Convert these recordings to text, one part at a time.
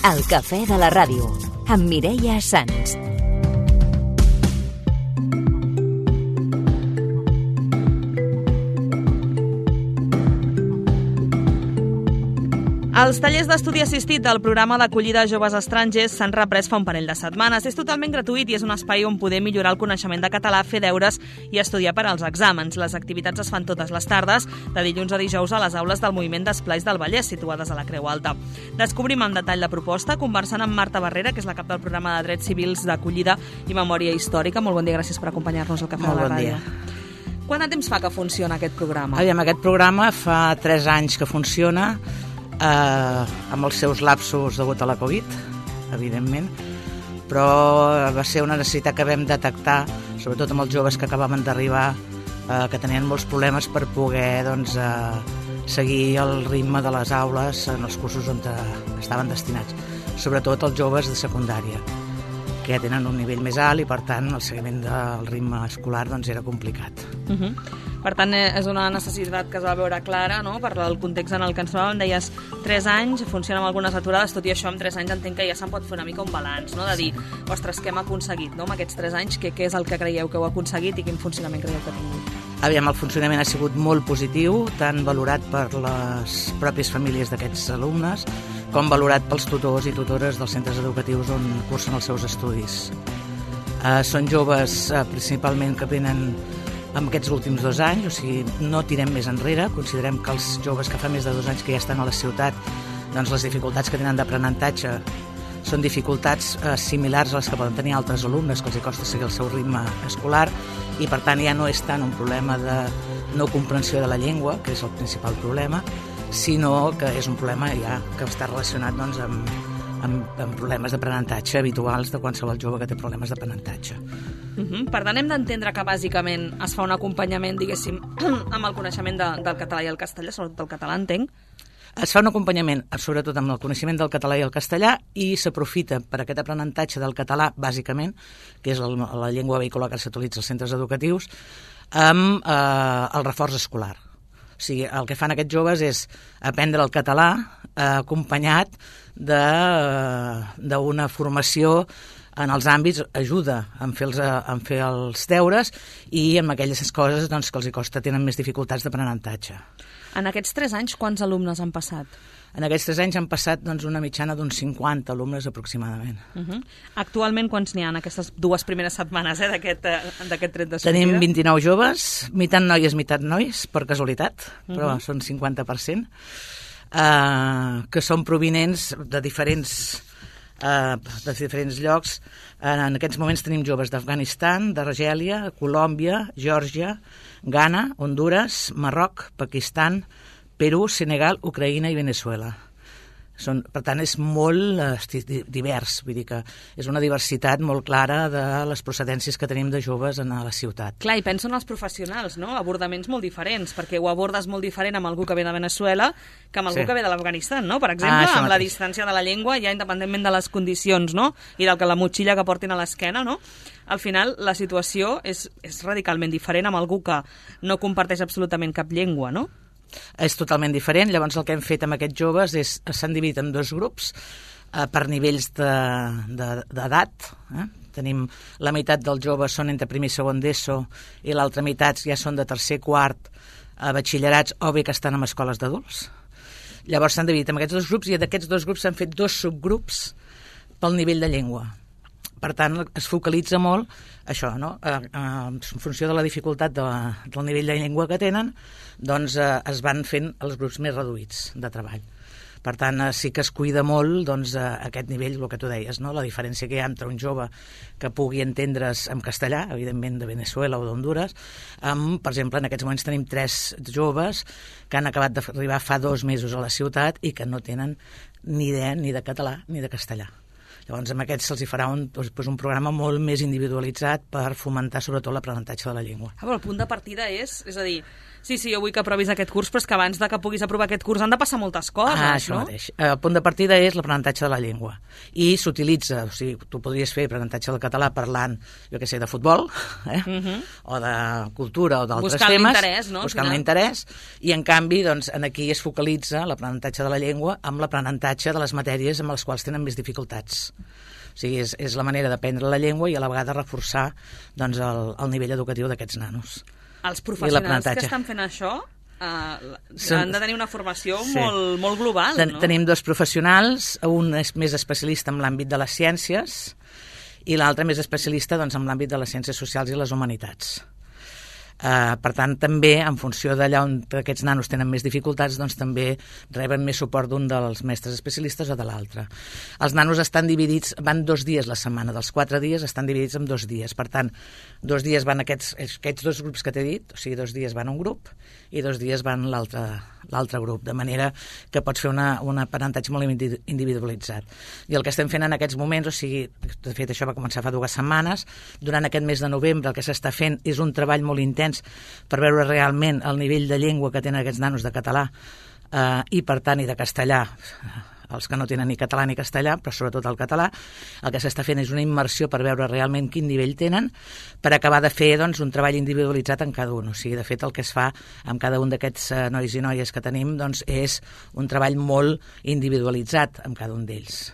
El cafè de la ràdio, amb Mireia Sans. Els tallers d'estudi assistit del programa d'acollida a joves estrangers s'han reprès fa un parell de setmanes. És totalment gratuït i és un espai on poder millorar el coneixement de català, fer deures i estudiar per als exàmens. Les activitats es fan totes les tardes, de dilluns a dijous a les aules del Moviment d'Esplais del Vallès, situades a la Creu Alta. Descobrim en detall la proposta conversant amb Marta Barrera, que és la cap del programa de Drets Civils d'acollida i memòria històrica. Molt bon dia, gràcies per acompanyar-nos al Cafè de la Ràdio. Quant de temps fa que funciona aquest programa? Aquest programa fa 3 anys que funciona, amb els seus lapsos degut a la Covid, evidentment, però va ser una necessitat que vam detectar, sobretot amb els joves que acabaven d'arribar, que tenien molts problemes per poder seguir el ritme de les aules en els cursos on estaven destinats, sobretot els joves de secundària, que ja tenen un nivell més alt i, per tant, el seguiment del ritme escolar era complicat. Per tant, és una necessitat que es va veure clara, no?, per el context en el que ens trobàvem. Deies 3 anys, funciona amb algunes aturades, tot i això, en 3 anys entenc que ja se'n pot fer una mica un balanç, no?, de dir, ostres, què hem aconseguit, no?, amb aquests 3 anys, què és el que creieu que heu aconseguit i quin funcionament creieu que ha tingut? El funcionament ha sigut molt positiu, tant valorat per les pròpies famílies d'aquests alumnes, com valorat pels tutors i tutores dels centres educatius on cursen els seus estudis. Són joves principalment que venen en aquests últims 2 anys, o sigui, no tirem més enrere. Considerem que els joves que fa més de 2 anys que ja estan a la ciutat, doncs les dificultats que tenen d'aprenentatge són dificultats similars a les que poden tenir altres alumnes, que els costa seguir el seu ritme escolar, i per tant ja no és tant un problema de no comprensió de la llengua, que és el principal problema, sinó que és un problema ja que està relacionat amb problemes d'aprenentatge habituals de qualsevol jove que té problemes d'aprenentatge. Per tant, hem d'entendre que bàsicament es fa un acompanyament, diguéssim, amb el coneixement del català i el castellà, sobretot el català, entenc? Es fa un acompanyament, sobretot amb el coneixement del català i el castellà, i s'aprofita per aquest aprenentatge del català, bàsicament, que és la llengua vehicular que s'utilitza als centres educatius, amb el reforç escolar. O sigui, el que fan aquests joves és aprendre el català acompanyat d'una formació en els àmbits, ajuda a fer els deures i en aquelles coses que els costa tenen més dificultats d'aprenentatge. En aquests 3 anys, quants alumnes han passat? En aquests 3 anys han passat una mitjana d'uns 50 alumnes aproximadament. Actualment, quants n'hi ha en aquestes 2 primeres setmanes d'aquest tret de sortida? Tenim 29 joves, meitat noies, meitat nois, per casualitat, però són 50%, que són provinents de diferents llocs. En aquests moments tenim joves d'Afganistan, d'Argèlia, Colòmbia, Geòrgia, Ghana, Hondures, Marroc, Pakistan, Perú, Senegal, Ucraïna i Veneçuela. Per tant, és molt divers, vull dir que és una diversitat molt clara de les procedències que tenim de joves a la ciutat. Clar, i penso en els professionals, no? Abordaments molt diferents, perquè ho abordes molt diferent amb algú que ve de Veneçuela que amb algú que ve de l'Afganistan, no? Per exemple, amb la distància de la llengua, ja independentment de les condicions, no?, i de la motxilla que portin a l'esquena, no? Al final, la situació és radicalment diferent amb algú que no comparteix absolutament cap llengua, no? És totalment diferent. Llavors el que hem fet amb aquests joves s'han dividit en 2 grups per nivells d'edat. Tenim la meitat dels joves són entre primer i segon d'ESO i l'altra meitat ja són de tercer, quart, batxillerats o bé que estan en escoles d'adults. Llavors s'han dividit en aquests 2 grups i d'aquests 2 grups s'han fet 2 subgrups pel nivell de llengua. Per tant, es focalitza molt això, no? En funció de la dificultat del nivell de llengua que tenen, doncs es van fent els grups més reduïts de treball. Per tant, sí que es cuida molt aquest nivell, el que tu deies, no? La diferència que hi ha entre un jove que pugui entendre's en castellà, evidentment de Veneçuela o d'Hondures, per exemple, en aquests moments tenim 3 joves que han acabat d'arribar fa 2 mesos a la ciutat i que no tenen ni idea ni de català ni de castellà. Llavors, amb aquests se'ls farà un programa molt més individualitzat per fomentar sobretot l'aprenentatge de la llengua. Però el punt de partida és a dir, Sí, jo vull que aprovis aquest curs, però és que abans de que puguis aprovar aquest curs han de passar moltes coses, això mateix. El punt de partida és l'aprenentatge de la llengua. I s'utilitza, o sigui, tu podries fer aprenentatge del català parlant, jo què sé, de futbol, o de cultura, o d'altres temes. Buscant l'interès, i en canvi, doncs, aquí es focalitza l'aprenentatge de la llengua amb l'aprenentatge de les matèries amb les quals tenen més dificultats. O sigui, és la manera d'aprendre la llengua i a la vegada reforçar doncs, el nivell educatiu d'aquests nanos. Els professionals que estan fent això han de tenir una formació molt global, no? Tenim 2 professionals, un és més especialista en l'àmbit de les ciències i l'altre més especialista doncs, en l'àmbit de les ciències socials i les humanitats. Per tant, també, en funció d'allà on aquests nanos tenen més dificultats, doncs també reben més suport d'un dels mestres especialistes o de l'altre. Els nanos estan dividits, van 2 dies la setmana, dels 4 dies estan dividits en 2 dies. Per tant, 2 dies van aquests 2 grups que t'he dit, o sigui, 2 dies van un grup i 2 dies van l'altre grup, de manera que pots fer un aprenentatge molt individualitzat. I el que estem fent en aquests moments, o sigui, de fet això va començar fa 2 setmanes, durant aquest mes de novembre el que s'està fent és un treball molt intens per veure realment el nivell de llengua que tenen aquests nanos de català i per tant i de castellà, els que no tenen ni català ni castellà, però sobretot el català. El que s'està fent és una immersió per veure realment quin nivell tenen, per acabar de fer doncs, un treball individualitzat en cada un. O sigui, de fet, el que es fa amb cada un d'aquests nois i noies que tenim doncs, és un treball molt individualitzat amb cada un d'ells.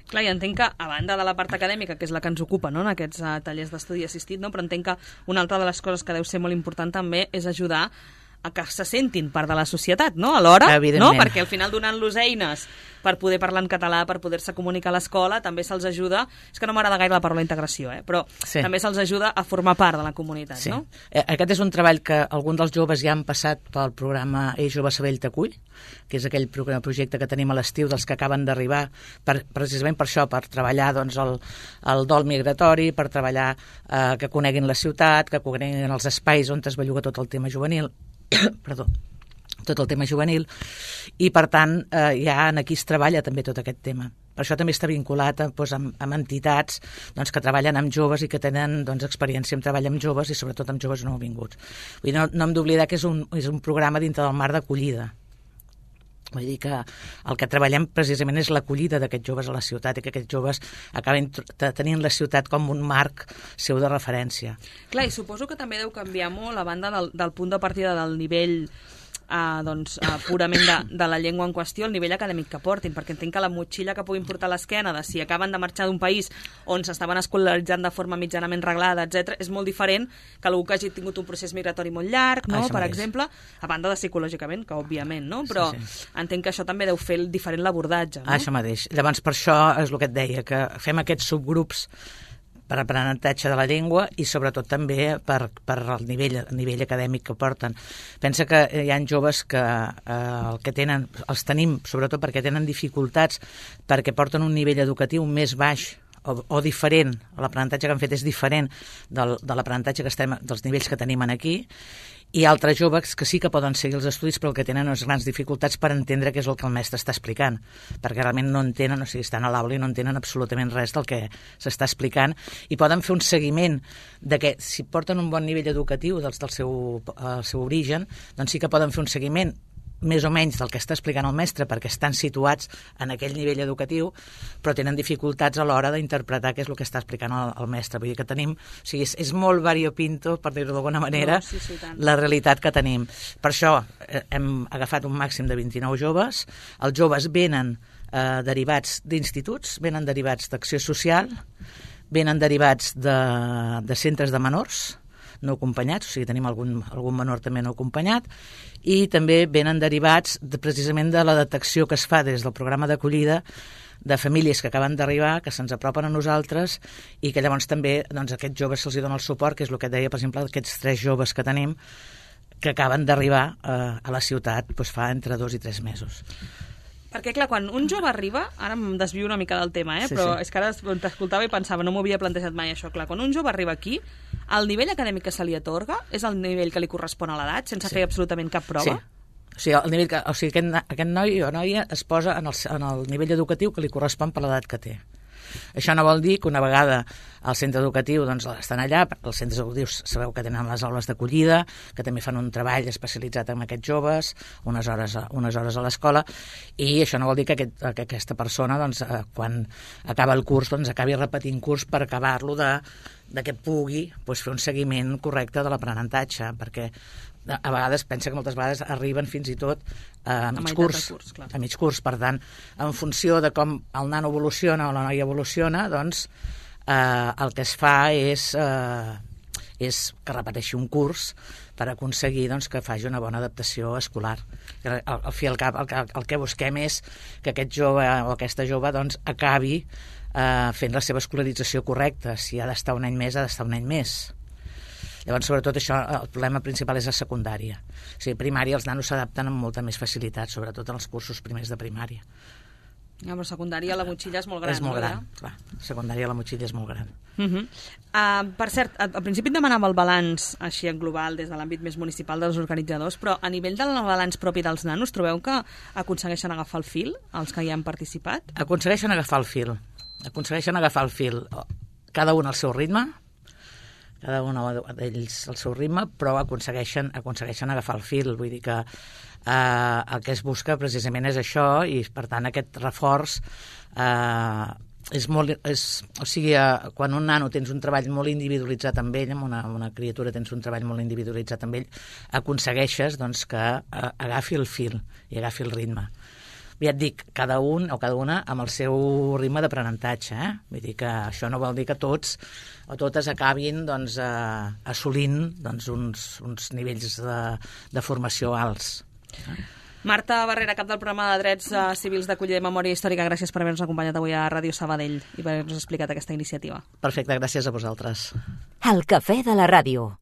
Clar, i entenc que, a banda de la part acadèmica, que és la que ens ocupa, no?, en aquests tallers d'estudi assistit, no?, però entenc que una altra de les coses que deu ser molt important també és ajudar a que se sentin part de la societat, no?, alhora, no?, perquè al final donant-los eines per poder parlar en català, per poder-se comunicar a l'escola, també se'ls ajuda, és que no m'agrada gaire la paraula integració, però també se'ls ajuda a formar part de la comunitat, no? Aquest és un treball que alguns dels joves ja han passat pel programa Jove Sabell t'acull, que és aquell projecte que tenim a l'estiu dels que acaben d'arribar, precisament per això, per treballar doncs, el dol migratori, per treballar que coneguin la ciutat, que coneguin els espais on es belluga tot el tema juvenil, tot el tema juvenil, i per tant ja aquí es treballa també tot aquest tema. Per això també està vinculat doncs, amb entitats doncs, que treballen amb joves i que tenen doncs, experiència en treball amb joves i sobretot amb joves nouvinguts. Vull dir, no hem d'oblidar que és un programa dintre del marc d'acollida. Vull dir que el que treballem precisament és l'acollida d'aquests joves a la ciutat i que aquests joves acaben tenint la ciutat com un marc seu de referència. Clar, i suposo que també deu canviar molt a banda del punt de partida del nivell purament de la llengua en qüestió, el nivell acadèmic que portin, perquè entenc que la motxilla que puguin portar a l'esquena de si acaben de marxar d'un país on s'estaven escolaritzant de forma mitjanament reglada, etc., és molt diferent que algú que hagi tingut un procés migratori molt llarg, no? Per exemple, a banda de psicològicament, que òbviament, no? Però entenc que això també deu fer diferent l'abordatge, no? Això mateix. Llavors, per això és el que et deia, que fem aquests subgrups per aprenentatge de la llengua i sobretot també per el nivell acadèmic que porten. Pensa que hi ha joves que el que tenen, els tenim sobretot perquè tenen dificultats, perquè porten un nivell educatiu més baix o diferent, l'aprenentatge que han fet és diferent de l'aprenentatge dels nivells que tenim aquí, i altres joves que sí que poden seguir els estudis però el que tenen unes grans dificultats per entendre què és el que el mestre està explicant, perquè realment no entenen, o sigui, estan a l'aula i no entenen absolutament res del que s'està explicant i poden fer un seguiment de que si porten un bon nivell educatiu del seu origen, doncs sí que poden fer un seguiment més o menys del que està explicant el mestre perquè estan situats en aquell nivell educatiu però tenen dificultats a l'hora d'interpretar què és el que està explicant el mestre. Vull dir que tenim, o sigui, és molt variopinto, per dir-ho d'alguna manera, la realitat que tenim. Per això hem agafat un màxim de 29 joves. Els joves venen derivats d'instituts, venen derivats d'acció social, venen derivats de centres de menors no acompanyats, o sigui, tenim algun menor també no acompanyat, i també venen derivats precisament de la detecció que es fa des del programa d'acollida de famílies que acaben d'arribar, que se'ns apropen a nosaltres i que llavors també doncs, a aquests joves se'ls dona el suport, que és el que et deia, per exemple, aquests 3 joves que tenim que acaben d'arribar a la ciutat doncs, fa entre 2 i 3 mesos. Perquè, clar, quan un jove arriba, ara em desvio una mica del tema, però és que ara t'escoltava i pensava, no m'ho havia plantejat mai això, clar, quan un jove arriba aquí, el nivell acadèmic que se li atorga és el nivell que li correspon a l'edat, sense fer absolutament cap prova? Sí. Aquest noi o noia es posa en el nivell educatiu que li correspon per l'edat que té. Això no vol dir que una vegada al centre educatiu doncs, estan allà, els centres educatius sabeu que tenen les aules d'acollida, que també fan un treball especialitzat en aquests joves, unes hores a l'escola, i això no vol dir que aquesta persona, doncs, quan acaba el curs, doncs, acabi repetint curs per acabar-lo de que pugui doncs, fer un seguiment correcte de l'aprenentatge, perquè a vegades pensa que moltes vegades arriben fins i tot a mig curs. A mig curs. Per tant, en funció de com el nano evoluciona o la noia evoluciona, doncs el que es fa és que repeteixi un curs per aconseguir doncs, que faci una bona adaptació escolar. Al fi i al cap, el que busquem és que aquest jove o aquesta jove doncs, acabi fent la seva escolarització correcta. Si ha d'estar un any més, ha d'estar un any més. Llavors, sobretot, això, el problema principal és la secundària. O sigui, primària, els nanos s'adapten amb molta més facilitat, sobretot en els cursos primers de primària. Ja, però secundària la motxilla és molt gran. És molt gran, clar. Secundària la motxilla és molt gran. Per cert, al principi et demanava el balanç així en global des de l'àmbit més municipal dels organitzadors, però a nivell del balanç propi dels nanos, trobeu que aconsegueixen agafar el fil, els que hi han participat? Aconsegueixen agafar el fil. Cada un al seu ritme, cada un d'ells al seu ritme, però aconsegueixen agafar el fil. Vull dir que el que es busca precisament és això, i per tant aquest reforç o sigui, quan un nano tens un treball molt individualitzat amb ell, amb una criatura tens un treball molt individualitzat amb ell, aconsegueixes doncs, que agafi el fil i agafi el ritme. Ja et dic, cada un o cada una amb el seu ritme d'aprenentatge. Vull dir que això no vol dir que tots o totes acabin doncs, assolint doncs, uns nivells de formació alts. Marta Barrera, cap del programa de Drets Civils d'Acollida i Memòria Històrica, gràcies per haver-nos acompanyat avui a Ràdio Sabadell i per haver-nos explicat aquesta iniciativa. Perfecte, gràcies a vosaltres. El cafè de la ràdio.